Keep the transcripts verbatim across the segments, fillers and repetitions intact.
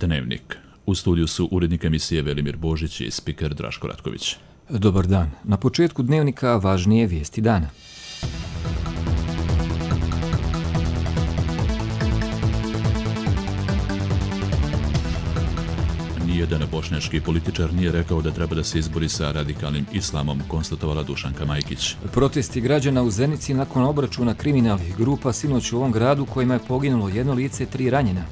Dnevnik. U studiju su urednik emisije Velimir Božić i spiker Draško Ratković. Dobar dan. Na početku Dnevnika važnije vijesti dana. Nijedan bošnjački političar nije rekao da treba da se izbori sa radikalnim islamom, konstatovala Dušanka Majkić. Protesti građana u Zenici nakon obračuna kriminalnih grupa sinoć u ovom gradu kojima je poginulo jedno lice, tri ranjena.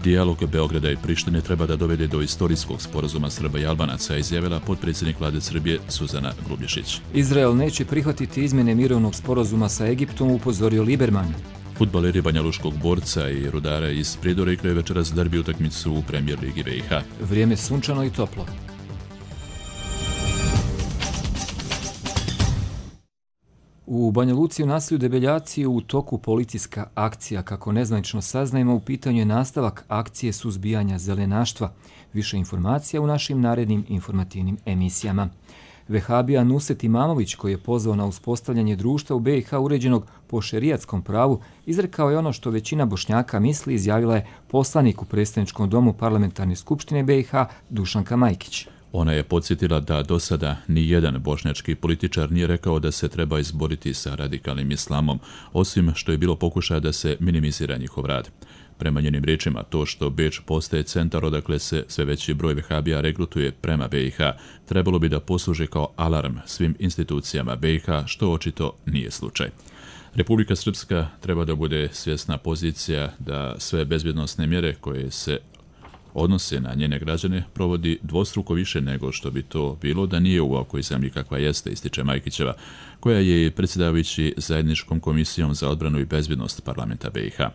Dijalog Beograda i Prištine treba da dovede do istorijskog sporazuma Srba i Albanaca, izjavila potpredsjednik vlade Srbije Suzana Grubješić. Izrael neće prihvatiti izmjene mirovnog sporazuma sa Egiptom, upozorio Liberman. Fudbaleri Banjaluškog Borca i Rudara iz Pridora igraju večeras derbi utakmicu u Premijer ligi B i H. Vrijeme sunčano i toplo. U Banja Luci u naselju Debeljaci u toku policijska akcija. Kako nezvanično saznajemo, u pitanju je nastavak akcije suzbijanja zelenaštva. Više informacija u našim narednim informativnim emisijama. Vehabija Nusret Imamović, koji je pozvao na uspostavljanje društva u B i H uređenog po šerijatskom pravu, izrekao je ono što većina Bošnjaka misli, izjavila je poslanik u predstavničkom domu Parlamentarne skupštine B i H Dušanka Majkić. Ona je podsjetila da do sada ni jedan bošnjački političar nije rekao da se treba izboriti sa radikalnim islamom, osim što je bilo pokušaja da se minimizira njihov rad. Prema njenim riječima, to što Beč postaje centar odakle se sve veći broj vehabija regrutuje prema B i H, trebalo bi da posluži kao alarm svim institucijama B i H, što očito nije slučaj. Republika Srpska treba da bude svjesna pozicija da sve bezbjednosne mjere koje se odnose na njene građane provodi dvostruko više nego što bi to bilo da nije u ovakvoj zemlji kakva jeste, ističe Majkićeva, koja je predsjedavajući zajedničkom komisijom za odbranu i bezbjednost parlamenta B i H.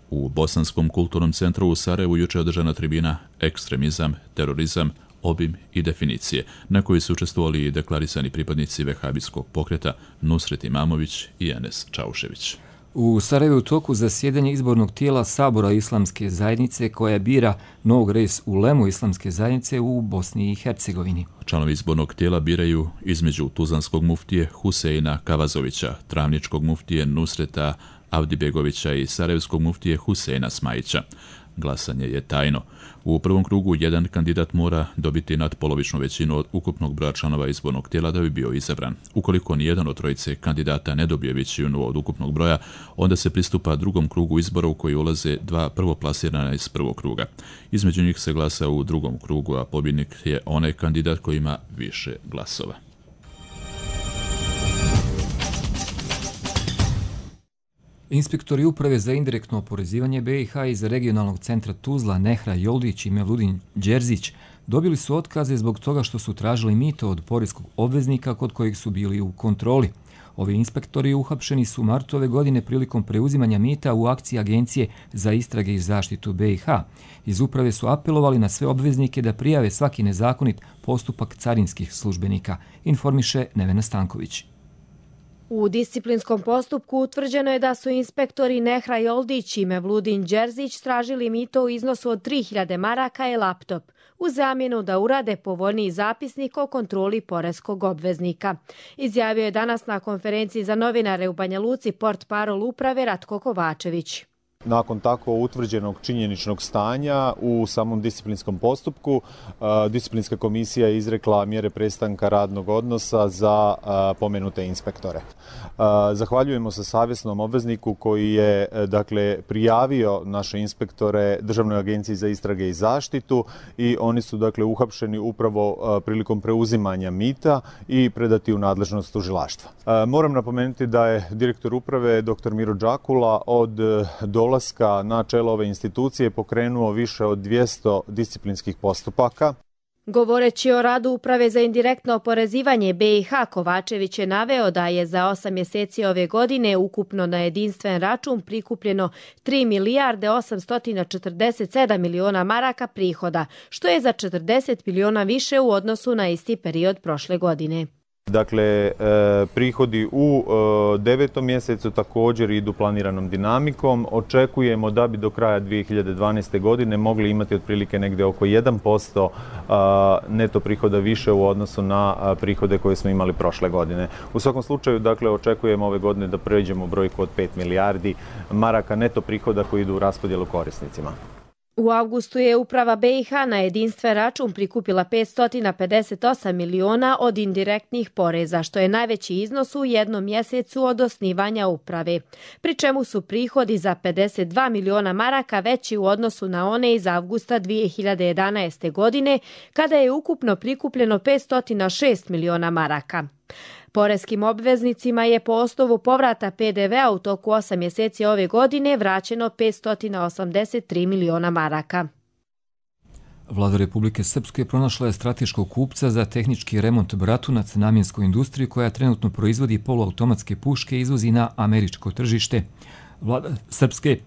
U Bosanskom kulturnom centru u Sarajevu juče održana tribina Ekstremizam, terorizam, obim i definicije, na kojoj su učestvovali i deklarisani pripadnici vehabijskog pokreta Nusret Imamović i Enes Čaušević. U Sarajevu u toku zasjedanje izbornog tijela Sabora Islamske zajednice koja bira novog res ulemu Islamske zajednice u Bosni i Hercegovini. Članovi izbornog tijela biraju između Tuzlanskog muftije Huseina Kavazovića, Travničkog muftije Nusreta Avdibegovića i Sarajevskog muftije Huseina Smajića. Glasanje je tajno. U prvom krugu jedan kandidat mora dobiti nadpolovičnu većinu od ukupnog broja članova izbornog tijela da bi bio izabran. Ukoliko nijedan od trojice kandidata ne dobije većinu od ukupnog broja, onda se pristupa drugom krugu izbora u koji ulaze dva prvoplasirana iz prvog kruga. Između njih se glasa u drugom krugu, a pobjednik je onaj kandidat koji ima više glasova. Inspektori Uprave za indirektno oporezivanje B i H iz regionalnog centra Tuzla Nehra Joldić i Mevludin Đerzić dobili su otkaze zbog toga što su tražili mito od poreskog obveznika kod kojih su bili u kontroli. Ovi inspektori uhapšeni su martu ove godine prilikom preuzimanja mita u akciji Agencije za istrage i zaštitu B i H. Iz uprave su apelovali na sve obveznike da prijave svaki nezakonit postupak carinskih službenika, informiše Nevena Stanković. U disciplinskom postupku utvrđeno je da su inspektori Nehra Joldić i Mevludin Đerzić tražili mito u iznosu od tri hiljade maraka i laptop, u zamjenu da urade povoljniji zapisnik o kontroli poreskog obveznika. Izjavio je danas na konferenciji za novinare u Banja Luci portparol uprave Ratko Kovačević. Nakon tako utvrđenog činjeničnog stanja u samom disciplinskom postupku, disciplinska komisija je izrekla mjere prestanka radnog odnosa za pomenute inspektore. Zahvaljujemo se savjesnom obvezniku koji je dakle prijavio naše inspektore Državnoj agenciji za istrage i zaštitu i oni su dakle uhapšeni upravo prilikom preuzimanja mita i predati u nadležnost tužilaštva. Moram napomenuti da je direktor uprave dr Miro Đakula od dolaska na čelo ove institucije pokrenuo više od dvjesto disciplinskih postupaka. Govoreći o radu Uprave za indirektno oporezivanje B i H, Kovačević je naveo da je za osam mjeseci ove godine ukupno na jedinstven račun prikupljeno tri milijarde osamsto četrdeset sedam miliona maraka prihoda, što je za četrdeset miliona više u odnosu na isti period prošle godine. Dakle, prihodi u devetom mjesecu također idu planiranom dinamikom. Očekujemo da bi do kraja dvije hiljade dvanaeste. godine mogli imati otprilike negdje oko jedan posto neto prihoda više u odnosu na prihode koje smo imali prošle godine. U svakom slučaju, dakle, očekujemo ove godine da pređemo brojku od pet milijardi maraka neto prihoda koji idu u raspodjelu korisnicima. U avgustu je uprava B i H na jedinstven račun prikupila petsto pedeset osam miliona od indirektnih poreza, što je najveći iznos u jednom mjesecu od osnivanja uprave, pri čemu su prihodi za pedeset dva miliona maraka veći u odnosu na one iz avgusta dvije hiljade jedanaeste. godine, kada je ukupno prikupljeno petsto šest miliona maraka. Poreskim obveznicima je po osnovu povrata P D V-a u toku osam mjeseci ove godine vraćeno petsto osamdeset tri miliona maraka. Vlada Republike Srpske pronašla je strateškog kupca za tehnički remont Bratunac namjenskoj industriji koja trenutno proizvodi poluautomatske puške i izvozi na američko tržište. Vlada Srpske,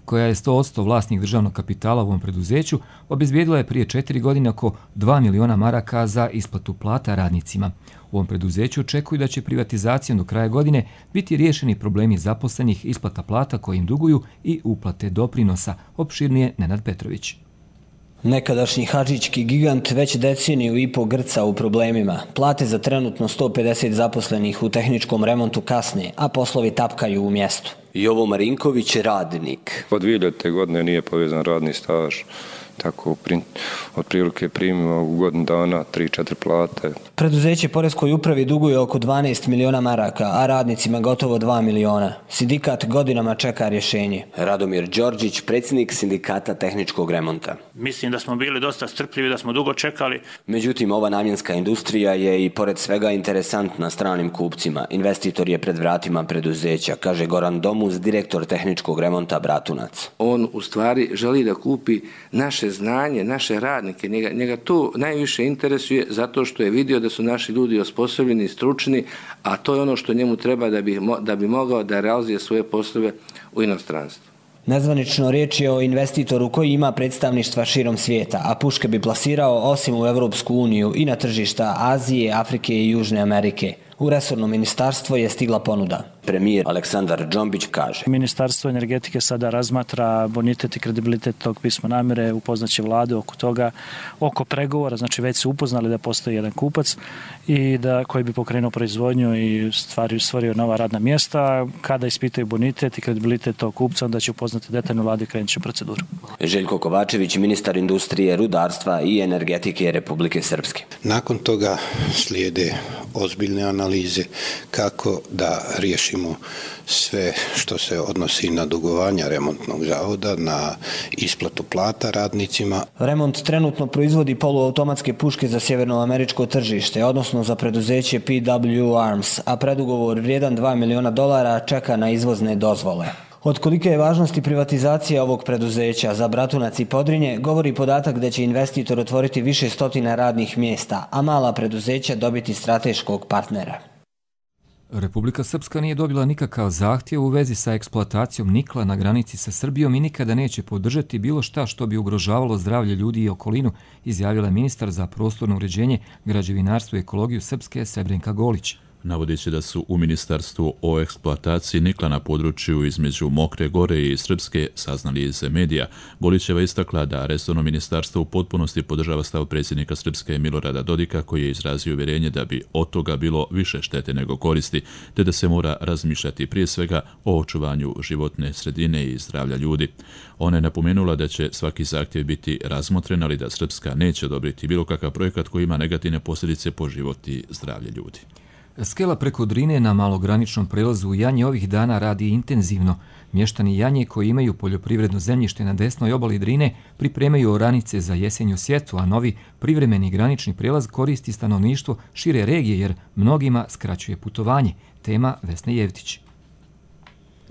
koja je sto posto vlasnik državnog kapitala u ovom preduzeću, obezbijedila je prije četiri godine oko dva miliona maraka za isplatu plata radnicima. U ovom preduzeću očekuju da će privatizacijom do kraja godine biti riješeni problemi zaposlenih, isplata plata koje im duguju i uplate doprinosa. Opširnije Nenad Petrović. Nekadašnji hadžićki gigant već deceniju i po grca u problemima. Plate za trenutno sto pedeset zaposlenih u tehničkom remontu kasne, a poslovi tapkaju u mjestu. Jovo Marinković je radnik. Od dvije hiljadite. godine nije povezan radni staž. Tako otprilike primimo u godinu dana tri četiri plate. Preduzeće poreskoj upravi duguje oko dvanaest miliona maraka, a radnicima gotovo dva miliona. Sindikat godinama čeka rješenje. Radomir Đorđić, predsjednik sindikata tehničkog remonta. Mislim da smo bili dosta strpljivi, da smo dugo čekali. Međutim, ova namjenska industrija je i pored svega interesantna stranim kupcima. Investitor je pred vratima preduzeća, kaže Goran Domuz, direktor tehničkog remonta Bratunac. On u stvari želi da kupi naše znanje, naše radnike, njega, njega to najviše interesuje zato što je vidio da su naši ljudi osposobljeni, stručni, a to je ono što njemu treba da bi, da bi mogao da realizuje svoje poslove u inostranstvu. Nezvanično riječ je o investitoru koji ima predstavništva širom svijeta, a puške bi plasirao osim u Evropsku uniju i na tržišta Azije, Afrike i Južne Amerike. U resorno ministarstvo je stigla ponuda. Premijer Aleksandar Džombić kaže. Ministarstvo energetike sada razmatra bonitet i kredibilitet tog pisma namjere, upoznaće vladu oko toga, oko pregovora, znači već su upoznali da postoji jedan kupac i da koji bi pokrenuo proizvodnju i stvari, stvorio nova radna mjesta. Kada ispitaju bonitet i kredibilitet tog kupca, onda će upoznati detaljnu vladu i krenut će u proceduru. Željko Kovačević, ministar industrije, rudarstva i energetike Republike Srpske. Nakon toga slijede ozbiljne analize kako da riješimo sve što se odnosi na dugovanja remontnog zavoda, na isplatu plata radnicima. Remont trenutno proizvodi poluautomatske puške za sjevernoameričko tržište, odnosno za preduzeće P W Arms, a predugovor vrijedan dva miliona dolara čeka na izvozne dozvole. Od kolike je važnosti privatizacija ovog preduzeća za Bratunac i Podrinje govori podatak da će investitor otvoriti više stotina radnih mjesta, a mala preduzeća dobiti strateškog partnera. Republika Srpska nije dobila nikakav zahtjev u vezi sa eksploatacijom nikla na granici sa Srbijom i nikada neće podržati bilo šta što bi ugrožavalo zdravlje ljudi i okolinu, izjavila je ministar za prostorno uređenje, građevinarstvo i ekologiju Srpske Srebrenka Golić. Navodeći da su u ministarstvu o eksploataciji nikla na području između Mokre Gore i Srpske saznali iz medija, Golićeva istakla da resorno ministarstvo u potpunosti podržava stav predsjednika Srpske Milorada Dodika, koji je izrazio uvjerenje da bi od toga bilo više štete nego koristi, te da se mora razmišljati prije svega o očuvanju životne sredine i zdravlja ljudi. Ona je napomenula da će svaki zahtjev biti razmotren, ali da Srpska neće odobriti bilo kakav projekat koji ima negativne posljedice po život i zdravlje ljudi. Skela preko Drine na malograničnom prelazu u Janje ovih dana radi intenzivno. Mještani Janje koji imaju poljoprivredno zemljište na desnoj obali Drine pripremaju oranice za jesenju sjetvu, a novi privremeni granični prijelaz koristi stanovništvo šire regije jer mnogima skraćuje putovanje. Tema Vesna Jevtić.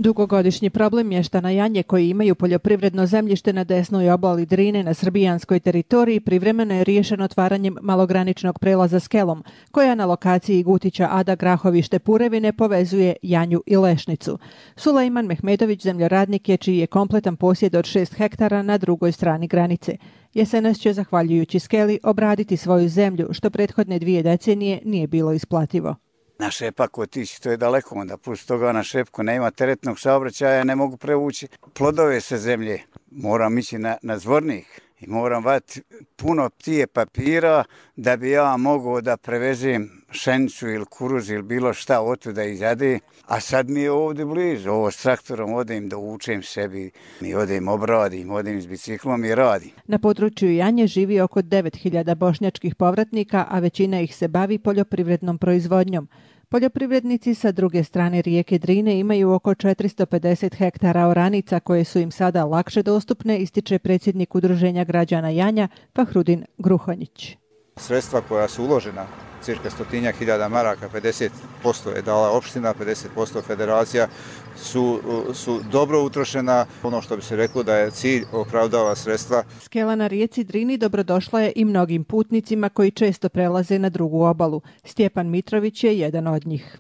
Dugogodišnji problem mještana Janje koji imaju poljoprivredno zemljište na desnoj obali Drine na srbijanskoj teritoriji privremeno je riješen otvaranjem malograničnog prelaza Skelom, koja na lokaciji Gutića Ada Grahovište Purevine povezuje Janju i Lešnicu. Sulejman Mehmedović zemljoradnik je čiji je kompletan posjed od šest hektara na drugoj strani granice. Jesenas će, zahvaljujući Skeli, obraditi svoju zemlju, što prethodne dvije decenije nije bilo isplativo. Na šepak otići, to je daleko, onda plus toga na šepku nema teretnog saobraćaja, ne mogu prevući plodove sa zemlje. Moram ići na, na zvornik i moram vati puno tije papira da bi ja mogao da prevezem šenicu ili kuruz ili bilo šta otu da izjade, a sad mi je ovdje blizu, ovo s traktorom odem da učem sebi, mi odem obradim, odem s biciklom i radim. Na području Janje živi oko devet hiljada bošnjačkih povratnika, a većina ih se bavi poljoprivrednom proizvodnjom. Poljoprivrednici sa druge strane rijeke Drine imaju oko četiristo pedeset hektara oranica koje su im sada lakše dostupne, ističe predsjednik Udruženja građana Janja Fahrudin Gruhonjić. Sredstva koja su uložena, cirka stotinjak hiljada maraka, pedeset posto je dala opština, pedeset posto federacija, su, su dobro utrošena. Ono što bi se reklo da je cilj opravdava sredstva. Skela na rijeci Drini dobrodošla je i mnogim putnicima koji često prelaze na drugu obalu. Stjepan Mitrović je jedan od njih.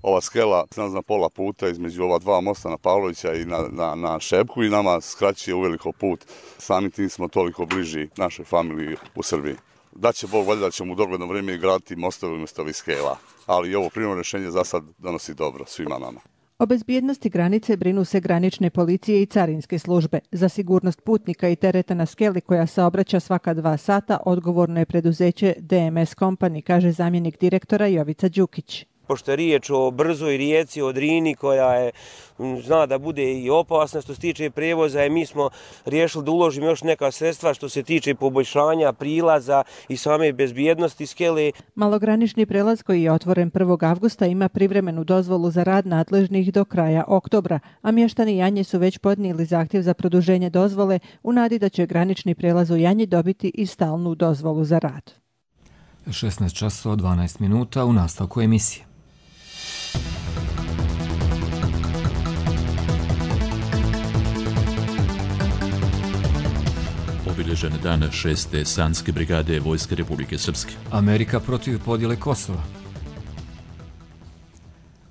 Ova skela na pola puta između ova dva mosta na Pavlovića i na, na, na Šepku i nama skraćuje uveliko put. Samim tim smo toliko bliži našoj familiji u Srbiji. Da će Bog valjda da ćemo u dogledno vrijeme graditi mostove umjesto ovih skela, ali ovo primarno rješenje za sad donosi dobro svima nama. O bezbjednosti granice brinu se granične policije i carinske službe. Za sigurnost putnika i tereta na skeli koja saobraća svaka dva sata odgovorno je preduzeće D M S Company, kaže zamjenik direktora Jovica Đukić. Pošto je riječ o brzoj rijeci, o Drini koja je, zna da bude i opasna što se tiče prijevoza, i mi smo riješili da uložimo još neka sredstva što se tiče poboljšanja prilaza i same bezbjednosti skele. Malogranični prelaz koji je otvoren prvog avgusta ima privremenu dozvolu za rad nadležnih do kraja oktobra, a mještani Janje su već podnijeli zahtjev za produženje dozvole u nadi da će granični prelaz u Janji dobiti i stalnu dozvolu za rad. šesnaest časova dvanaest minuta u nastavku emisije. Obilježen dan šeste Sanske brigade Vojske Republike Srpske. Amerika protiv podjele Kosova.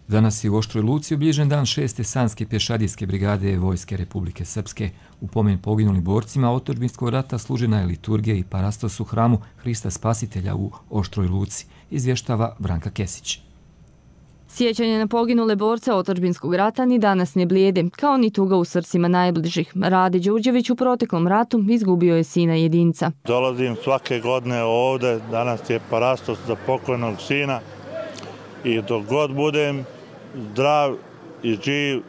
Danas je u Oštroj Luci obilježen dan šeste Sanske pješadijske brigade Vojske Republike Srpske. U pomen poginulim borcima otadžbinskog rata služena je liturgija i parastos u hramu Hrista Spasitelja u Oštroj Luci, izvještava Branka Kesić. Sjećanje na poginule borce otadžbinskog rata ni danas ne blijede, kao ni tuga u srcima najbližih. Rade Đurđević u proteklom ratu izgubio je sina jedinca. Dolazim svake godine ovde, danas je parastos za pokojnog sina i dok god budem zdrav i živ,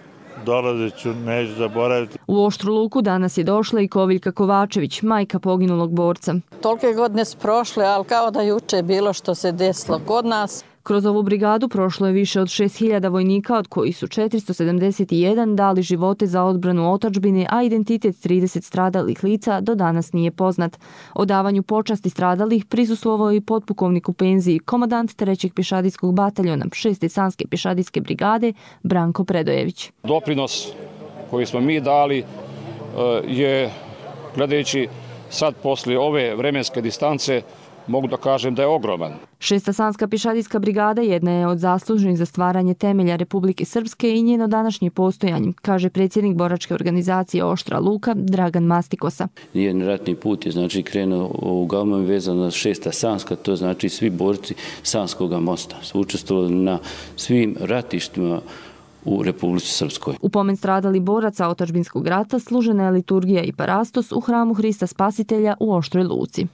dolazit ću, neću zaboraviti. U Oštru Luku danas je došla i Koviljka Kovačević, majka poginulog borca. Tolike godine su prošle, ali kao da juče bilo što se desilo kod nas. Kroz ovu brigadu prošlo je više od šest hiljada vojnika, od kojih su četiristo sedamdeset jedan dali živote za odbranu otadžbine, a identitet trideset stradalih lica do danas nije poznat. O davanju počasti stradalih prisustvovao i potpukovnik u penziji, komandant trećeg pješadijskog bataljona šeste Sanske pješadijske brigade Branko Predojević. Doprinos koji smo mi dali je, gledajući sad poslije ove vremenske distance, mogu da kažem da je ogroman. Šesta Sanska pješadijska brigada jedna je od zaslužnih za stvaranje temelja Republike Srpske i njeno današnje postojanje, kaže predsjednik boračke organizacije Oštra Luka Dragan Mastikosa. Nijedan ratni put je znači krenuo uglavnom vezano na šesta Sanska, to znači svi borci Sanskoga mosta su učestvovali na svim ratištima u Republici Srpskoj. U pomen stradali boraca otadžbinskog rata služena je liturgija i parastos u hramu Hrista Spasitelja u Oštroj Luci.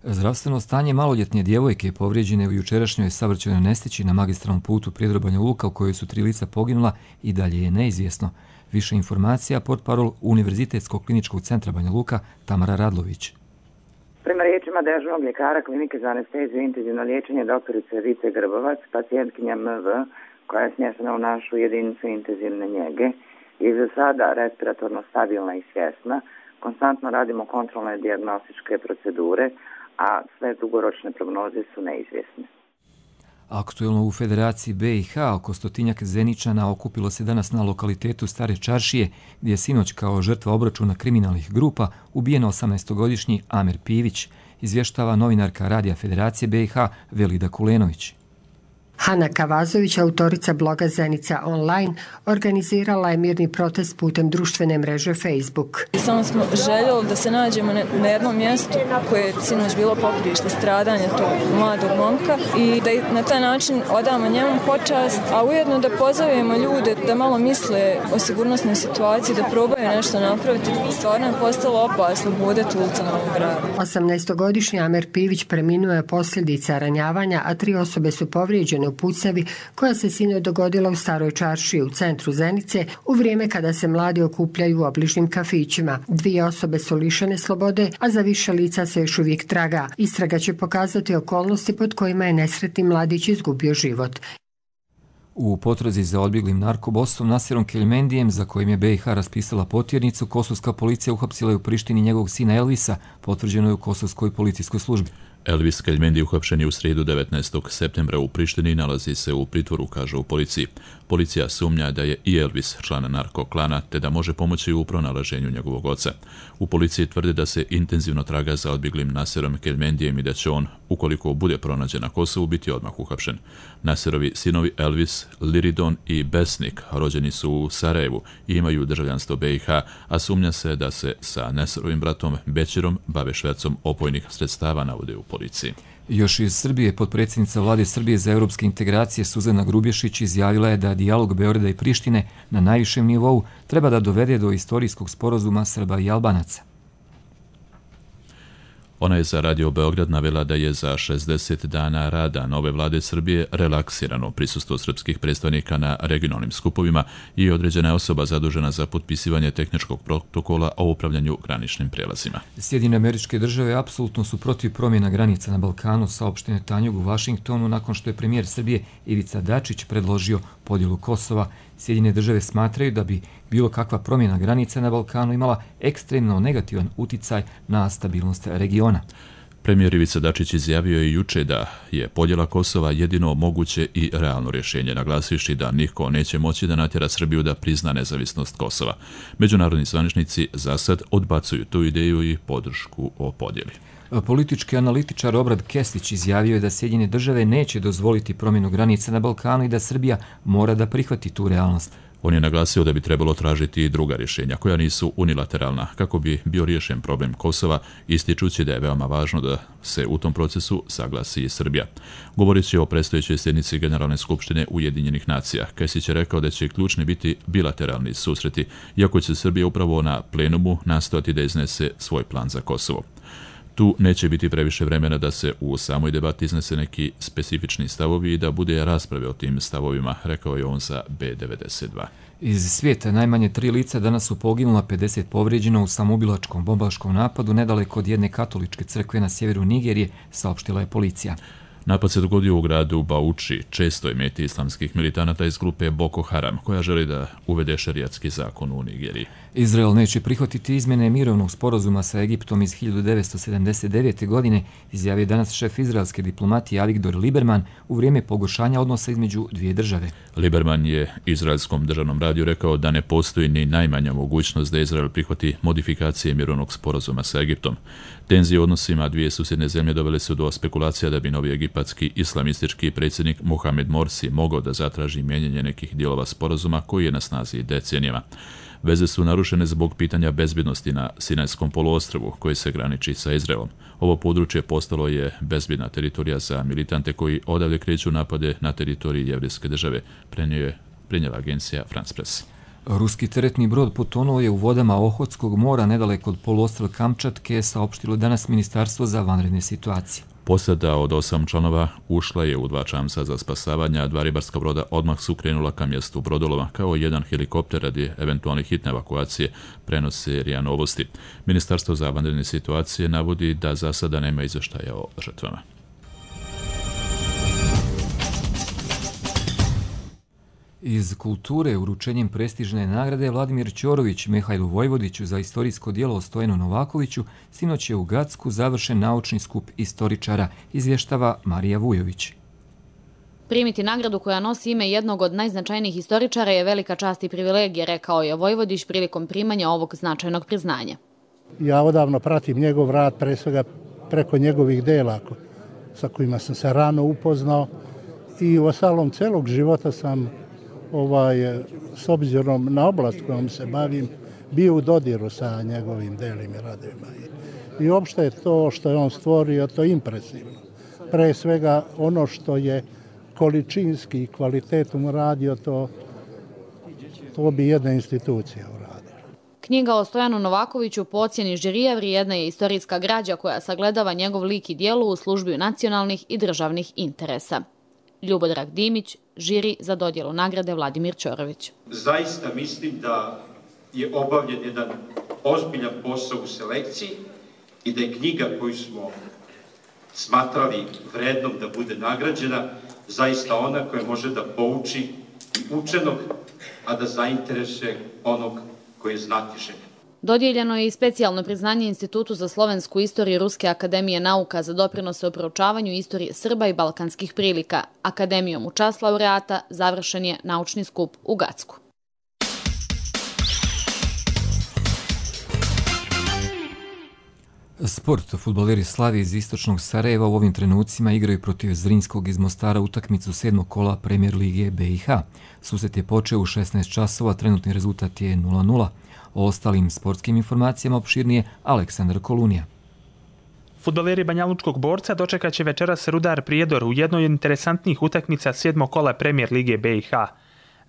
Zdravstveno stanje maloljetne djevojke povrijeđene u jučerašnjoj saobraćajnoj nesreći na magistralnom putu Prijedor Banja Luka u kojoj su tri lica poginula i dalje je neizvjesno. Više informacija portparol Univerzitetskog kliničkog centra Banja Luka Tamara Radlović. Prema riječima dežurnog ljekara klinike za anesteziju i intenzivno liječenje doktorice Vice Grbovac, pacijentkinja M V koja je smještena u našu jedinicu intenzivne njege je za sada respiratorno stabilna i svjesna. Konstantno radimo kontrolne dijagnostičke procedure, a sve dugoročne prognoze su neizvjesne. Aktuelno u Federaciji B i H oko stotinjak Zeničana okupilo se danas na lokalitetu Stare Čaršije, gdje je sinoć kao žrtva obračuna kriminalnih grupa ubijen osamnaestogodišnji Amer Pivić, izvještava novinarka Radija Federacije B i H Velida Kulenović. Hana Kavazović, autorica bloga Zenica Online, organizirala je mirni protest putem društvene mreže Facebook. Samo smo željeli da se nađemo na jednom mjestu koje je sinoć bilo poprište stradanja tog mladog momka i da na taj način odamo njemu počast, a ujedno da pozovemo ljude da malo misle o sigurnosnoj situaciji, da probaju nešto napraviti. Stvarno je postalo opasno budeti ulicama ovog grada. osamnaestogodišnji Amer Pivić preminuo je posljedica ranjavanja, a tri osobe su povrijeđene u pucavi koja se sinoć dogodila u Staroj čaršiji u centru Zenice u vrijeme kada se mladi okupljaju u obližnjim kafićima. Dvije osobe su lišene slobode, a za više lica se još uvijek traga. Istraga će pokazati okolnosti pod kojima je nesretni mladić izgubio život. U potrazi za odbjeglim narkobosom Nasirom Keljmendijem, za kojim je B i H raspisala potjernicu, kosovska policija uhapsila je u Prištini njegovog sina Elvisa, potvrđeno je u kosovskoj policijskoj službi. Elvis Keljmendi uhapšen je u srijedu devetnaestog septembra u Prištini i nalazi se u pritvoru, kaže u policiji. Policija sumnja da je i Elvis član narkoklana, te da može pomoći u pronalaženju njegovog oca. U policiji tvrde da se intenzivno traga za odbjeglim Nasirom Keljmendijem i da će on, ukoliko bude pronađen na Kosovu, biti odmah uhapšen. Nasirovi sinovi Elvis, Liridon i Besnik rođeni su u Sarajevu i imaju državljanstvo B i H, a sumnja se da se sa Nasirovim bratom Bećirom bave švercom opojnih sredstava, navode u policiji. Još iz Srbije, potpredsjednica vlade Srbije za europske integracije Suzana Grubješić izjavila je da dijalog Beograda i Prištine na najvišem nivou treba da dovede do istorijskog sporazuma Srba i Albanaca. Ona je za Radio Beograd navela da je za šezdeset dana rada nove vlade Srbije relaksirano prisustvo srpskih predstavnika na regionalnim skupovima i određena je osoba zadužena za potpisivanje tehničkog protokola o upravljanju graničnim prijelazima. Sjedinjene Američke Države apsolutno su protiv promjena granica na Balkanu, saopštio je Tanjug u Vašingtonu nakon što je premijer Srbije Ivica Dačić predložio podjelu Kosova. Sjedinjene Države smatraju da bi bilo kakva promjena granica na Balkanu imala ekstremno negativan uticaj na stabilnost regiona. Premijer Ivica Dačić izjavio je juče da je podjela Kosova jedino moguće i realno rješenje, naglasivši da niko neće moći da natjera Srbiju da prizna nezavisnost Kosova. Međunarodni zvaničnici za sad odbacuju tu ideju i podršku o podjeli. Politički analitičar Obrad Kesić izjavio je da Sjedinjene Države neće dozvoliti promjenu granica na Balkanu i da Srbija mora da prihvati tu realnost. On je naglasio da bi trebalo tražiti i druga rješenja koja nisu unilateralna kako bi bio riješen problem Kosova, ističući da je veoma važno da se u tom procesu saglasi i Srbija. Govoreći o predstojećoj sjednici Generalne skupštine Ujedinjenih nacija, Kesić je rekao da će ključni biti bilateralni susreti, iako će Srbija upravo na plenumu nastojati da iznese svoj plan za Kosovo. Tu neće biti previše vremena da se u samoj debati iznese neki specifični stavovi i da bude rasprave o tim stavovima, rekao je on za B devedeset dva. Iz svijeta najmanje tri lica danas su poginula, pedeset povrijeđeno u samoubilačkom bombaškom napadu nedaleko od jedne katoličke crkve na sjeveru Nigerije, saopštila je policija. Napad se dogodio u gradu Bauchi, čestoj meti islamskih militanata iz grupe Boko Haram, koja želi da uvede šerijatski zakon u Nigeriji. Izrael neće prihvatiti izmjene mirovnog sporazuma sa Egiptom iz hiljadu devetsto sedamdeset devete. godine, izjavio danas šef izraelske diplomatije Avigdor Lieberman u vrijeme pogoršanja odnosa između dvije države. Lieberman je izraelskom državnom radiju rekao da ne postoji ni najmanja mogućnost da Izrael prihvati modifikacije mirovnog sporazuma sa Egiptom. Tenzije u odnosima dvije susjedne zemlje dovele su do spekulacija da bi novi egipatski islamistički predsjednik Mohamed Morsi mogao da zatraži mijenjanje nekih dijelova sporazuma koji je na snazi decenijama. Veze su narušene zbog pitanja bezbjednosti na Sinajskom poluostrvu koji se graniči sa Izraelom. Ovo područje postalo je bezbjedna teritorija za militante koji odavde kreću napade na teritoriji Jevrijske države, prenijela agencija France Press. Ruski teretni brod potonuo je u vodama Ohotskog mora nedaleko od poluostrva Kamčatke, saopštilo danas Ministarstvo za vanredne situacije. Posada od osam članova ušla je u dva čamca za spasavanje, a dva ribarska broda odmah su krenula ka mjestu brodolova, kao i jedan helikopter radi eventualne hitne evakuacije, prenose R I A Novosti. Ministarstvo za vanredne situacije navodi da za sada nema izvještaja o žrtvama. Iz kulture uručenjem prestižne nagrade Vladimir Ćorović Mihajlu Vojvodiću za istorijsko djelo o Stojanu Novakoviću sinoć je u Gacku završen naučni skup istoričara, izvještava Marija Vujović. Primiti nagradu koja nosi ime jednog od najznačajnijih historičara je velika čast i privilegija, rekao je Vojvodić prilikom primanja ovog značajnog priznanja. Ja odavno pratim njegov rad, pre svega preko njegovih dela sa kojima sam se rano upoznao i u ostalom celog života sam ovaj, s obzirom na oblast kojom se bavim, bio u dodiru sa njegovim delima i radovima. I, i uopšte je to što je on stvorio, to je impresivno. Pre svega ono što je količinski i kvalitetom radio, to, to bi jedna institucija uradila. Knjiga o Stojanu Novakoviću po ocjeni žirija vrijedna je istorijska građa koja sagledava njegov lik i djelo u službi nacionalnih i državnih interesa. Ljubodrag Dimić, žiri za dodjelu nagrade Vladimir Ćorović. Zaista mislim da je obavljen jedan ozbiljan posao u selekciji i da je knjiga koju smo smatrali vrednom da bude nagrađena zaista ona koja može da pouči i učenog, a da zainteresuje onog koji je znatiželjan. Dodijeljeno je i specijalno priznanje Institutu za slovensku istoriju Ruske akademije nauka za doprinose u proučavanju istorije Srba i balkanskih prilika. Akademijom u čast laureata završen je naučni skup u Gacku. Sport. Fudbaleri Slavije iz istočnog Sarajeva u ovim trenucima igraju protiv Zrinskog iz Mostara utakmicu sedmog kola Premier lige B i H. Susret je počeo u šesnaest časova, trenutni rezultat je nula nula. O ostalim sportskim informacijama opširnije Aleksandar Kolunija. Fudbaleri Banjalučkog Borca dočekat će večeras Rudar Prijedor u jednoj od interesantnih utakmica sedmog kola Premier lige B i H.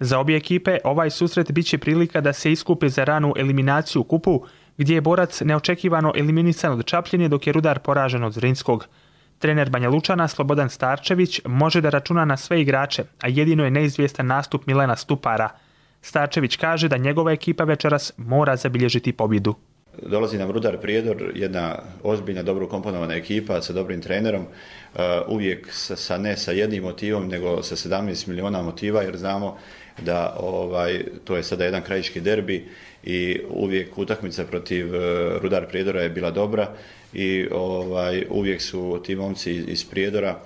Za obje ekipe ovaj susret biće prilika da se iskupe za ranu eliminaciju u kupu, gdje je Borac neočekivano eliminisan od Čapljine dok je Rudar poražen od Zrinskog. Trener Banja Lučana Slobodan Starčević može da računa na sve igrače, a jedino je neizvjestan nastup Milena Stupara. Starčević kaže da njegova ekipa večeras mora zabilježiti pobjedu. Dolazi nam Rudar Prijedor, jedna ozbiljna, dobro komponovana ekipa sa dobrim trenerom, uvijek sa, sa ne sa jednim motivom, nego sa sedamnaest miliona motiva, jer znamo da ovaj, to je sada jedan krajiški derbi i uvijek utakmica protiv Rudar Prijedora je bila dobra i ovaj, uvijek su ti momci iz Prijedora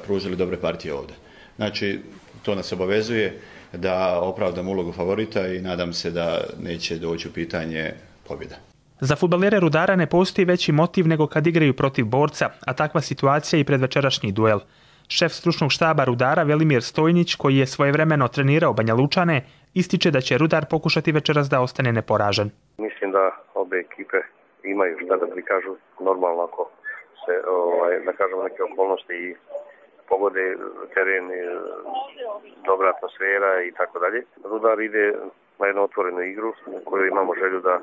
pružili dobre partije ovdje. Znači, to nas obavezuje da opravdam ulogu favorita i nadam se da neće doći u pitanje pobjeda. Za fudbalere Rudara ne postoji veći motiv nego kad igraju protiv Borca, a takva situacija i pred večerašnji duel. Šef stručnog štaba Rudara Velimir Stojnić, koji je svojevremeno trenirao Banja Lučane, ističe da će Rudar pokušati večeras da ostane neporažen. Mislim da obe ekipe imaju šta da prikažu normalno ako se, ovaj, da kažemo, neke okolnosti i pogode teren, dobra atmosfera i tako dalje. Rudar ide na jednu otvorenu igru u kojoj imamo želju da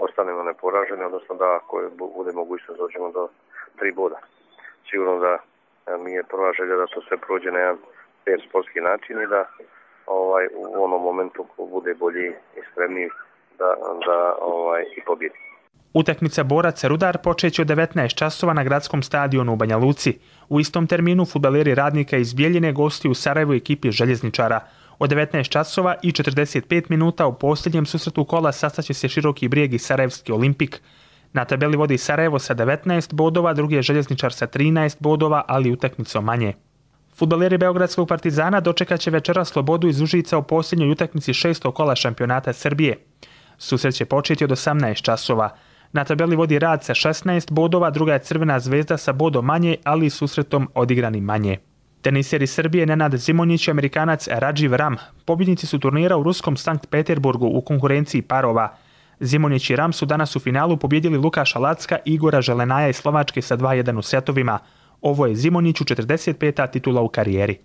ostanemo neporaženi, odnosno da ako bude mogućnost dođemo do tri boda. Sigurno da mi je prva želja da to sve prođe na jedan fair sportski način i da ovaj, u onom momentu ko bude bolji i spremniji da, da ovaj, i pobjedi. Utakmica Borac Rudar počeće od devetnaest časova na gradskom stadionu u Banja Luci. U istom terminu fudbaleri Radnika iz Bjeljine gostuju u Sarajevu ekipi Željezničara. Od devetnaest časova i četrdeset pet minuta u posljednjem susretu kola sastaće se Široki Brijeg i Sarajevski Olimpik. Na tabeli vodi Sarajevo sa devetnaest bodova, drugi je Željezničar sa trinaest bodova, ali utakmicom manje. Fudbaleri Beogradskog Partizana dočekat će večera Slobodu iz Užica u posljednjoj utakmici šestog kola šampionata Srbije. Susret će početi od osamnaest časova. Na tabeli vodi Rad sa šesnaest bodova, druga je Crvena Zvezda sa bodom manje, ali i susretom odigrani manje. Teniseri Srbije Nenad Zimonjić i Amerikanac Radživ Ram pobjednici su turnira u ruskom Sankt Peterburgu u konkurenciji parova. Zimonjić i Ram su danas u finalu pobjedili Lukaša Lacka i Igora Želenaja iz Slovačke sa dva jedan u setovima. Ovo je Zimonjiću četrdeset peta titula u karijeri.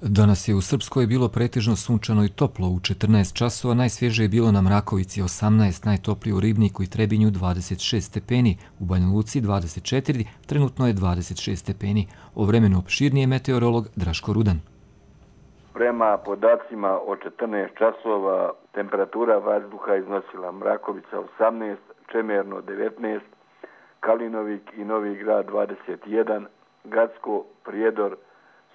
Danas je u Srpskoj bilo pretežno sunčano i toplo. U četrnaest časova najsvježije je bilo na Mrakovici osamnaest, najtoplije u Ribniku i Trebinju dvadeset šest stepeni, u Banja Luci dvadeset četiri, trenutno je dvadeset šest stepeni. O vremenu opširnije meteorolog Draško Rudan. Prema podacima od četrnaest časova temperatura vazduha iznosila Mrakovica osamnaest, Čemerno devetnaest, Kalinovik i Novi Grad dvadeset jedan, Gacko, Prijedor,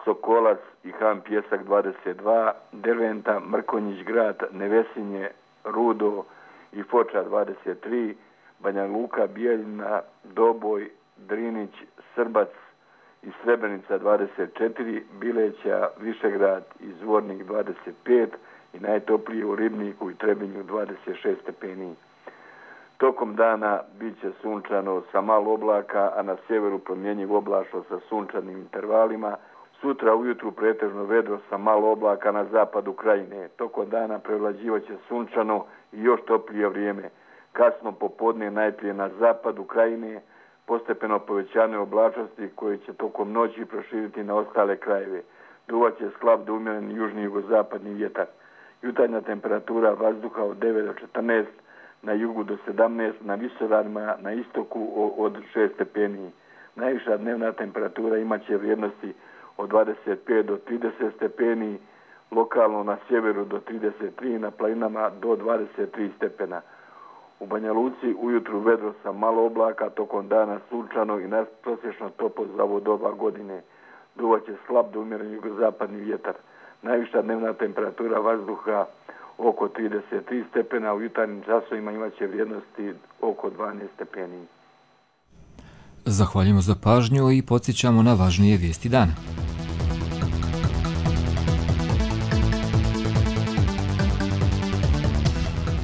Sokolac i Han Pjesak dvadeset dva, Derventa, Mrkonjić Grad, Nevesinje, Rudo i Foča dvadeset tri, Banja Luka, Bijeljina, Doboj, Drinić, Srbac i Srebrenica dvadeset četiri, Bileća, Višegrad i Zvornik dvadeset pet i najtoplije u Ribniku i Trebinju dvadeset šest stepeni. Tokom dana bit će sunčano sa malo oblaka, a na sjeveru promjenjiv oblačno sa sunčanim intervalima. Sutra ujutru pretežno vedro sa malo oblaka na zapadu krajine. Tokom dana prevlađivaće sunčano i još toplije vrijeme. Kasno popodne najprije na zapadu krajine, postepeno povećane oblačnosti koje će tokom noći proširiti na ostale krajeve. Duvaće slab do umjeren južni jugozapadni vjetar. Jutarnja temperatura vazduha od devet do četrnaest, na jugu do sedamnaest, na visoravnima na istoku od šest stepeni. Najviša dnevna temperatura imaće vrijednosti od dvadeset pet do trideset stepeni, lokalno na sjeveru do trideset tri, na planinama do dvadeset tri stepena. U Banja Luci ujutru vedro sa malo oblaka, tokom dana sunčano i nadprosječno toplo za ovo doba godine. Duvaće slab do umjeren jugozapadni vjetar. Najviša dnevna temperatura vazduha oko trideset tri stepena, u jutarnjim časovima imaće vrijednosti oko dvanaest stepeni. Zahvaljujemo za pažnju i podsjećamo na važnije vijesti dana.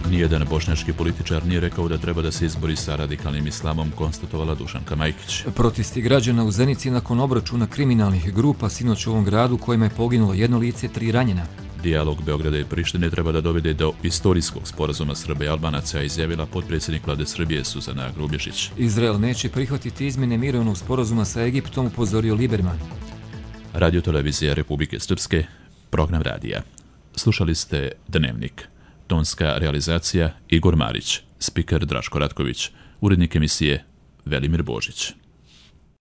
Nijedan bošnjački političar nije rekao da treba da se izbori sa radikalnim islamom, konstatovala Dušanka Majkić. Protesti građana u Zenici nakon obračuna kriminalnih grupa sinoć u ovom gradu kojima je poginulo jedno lice, tri ranjena. Dijalog Beograda i Prištine treba da dovede do istorijskog sporazuma Srba i Albanaca, izjavila potpredsjednik vlade Srbije Suzana Grubješić. Izrael neće prihvatiti izmjene mirovnog sporazuma sa Egiptom, upozorio Liberman. Radio televizija Republike Srpske, program radija. Slušali ste Dnevnik. Tonska realizacija Igor Marić, spiker Draško Ratković, urednik emisije Velimir Božić.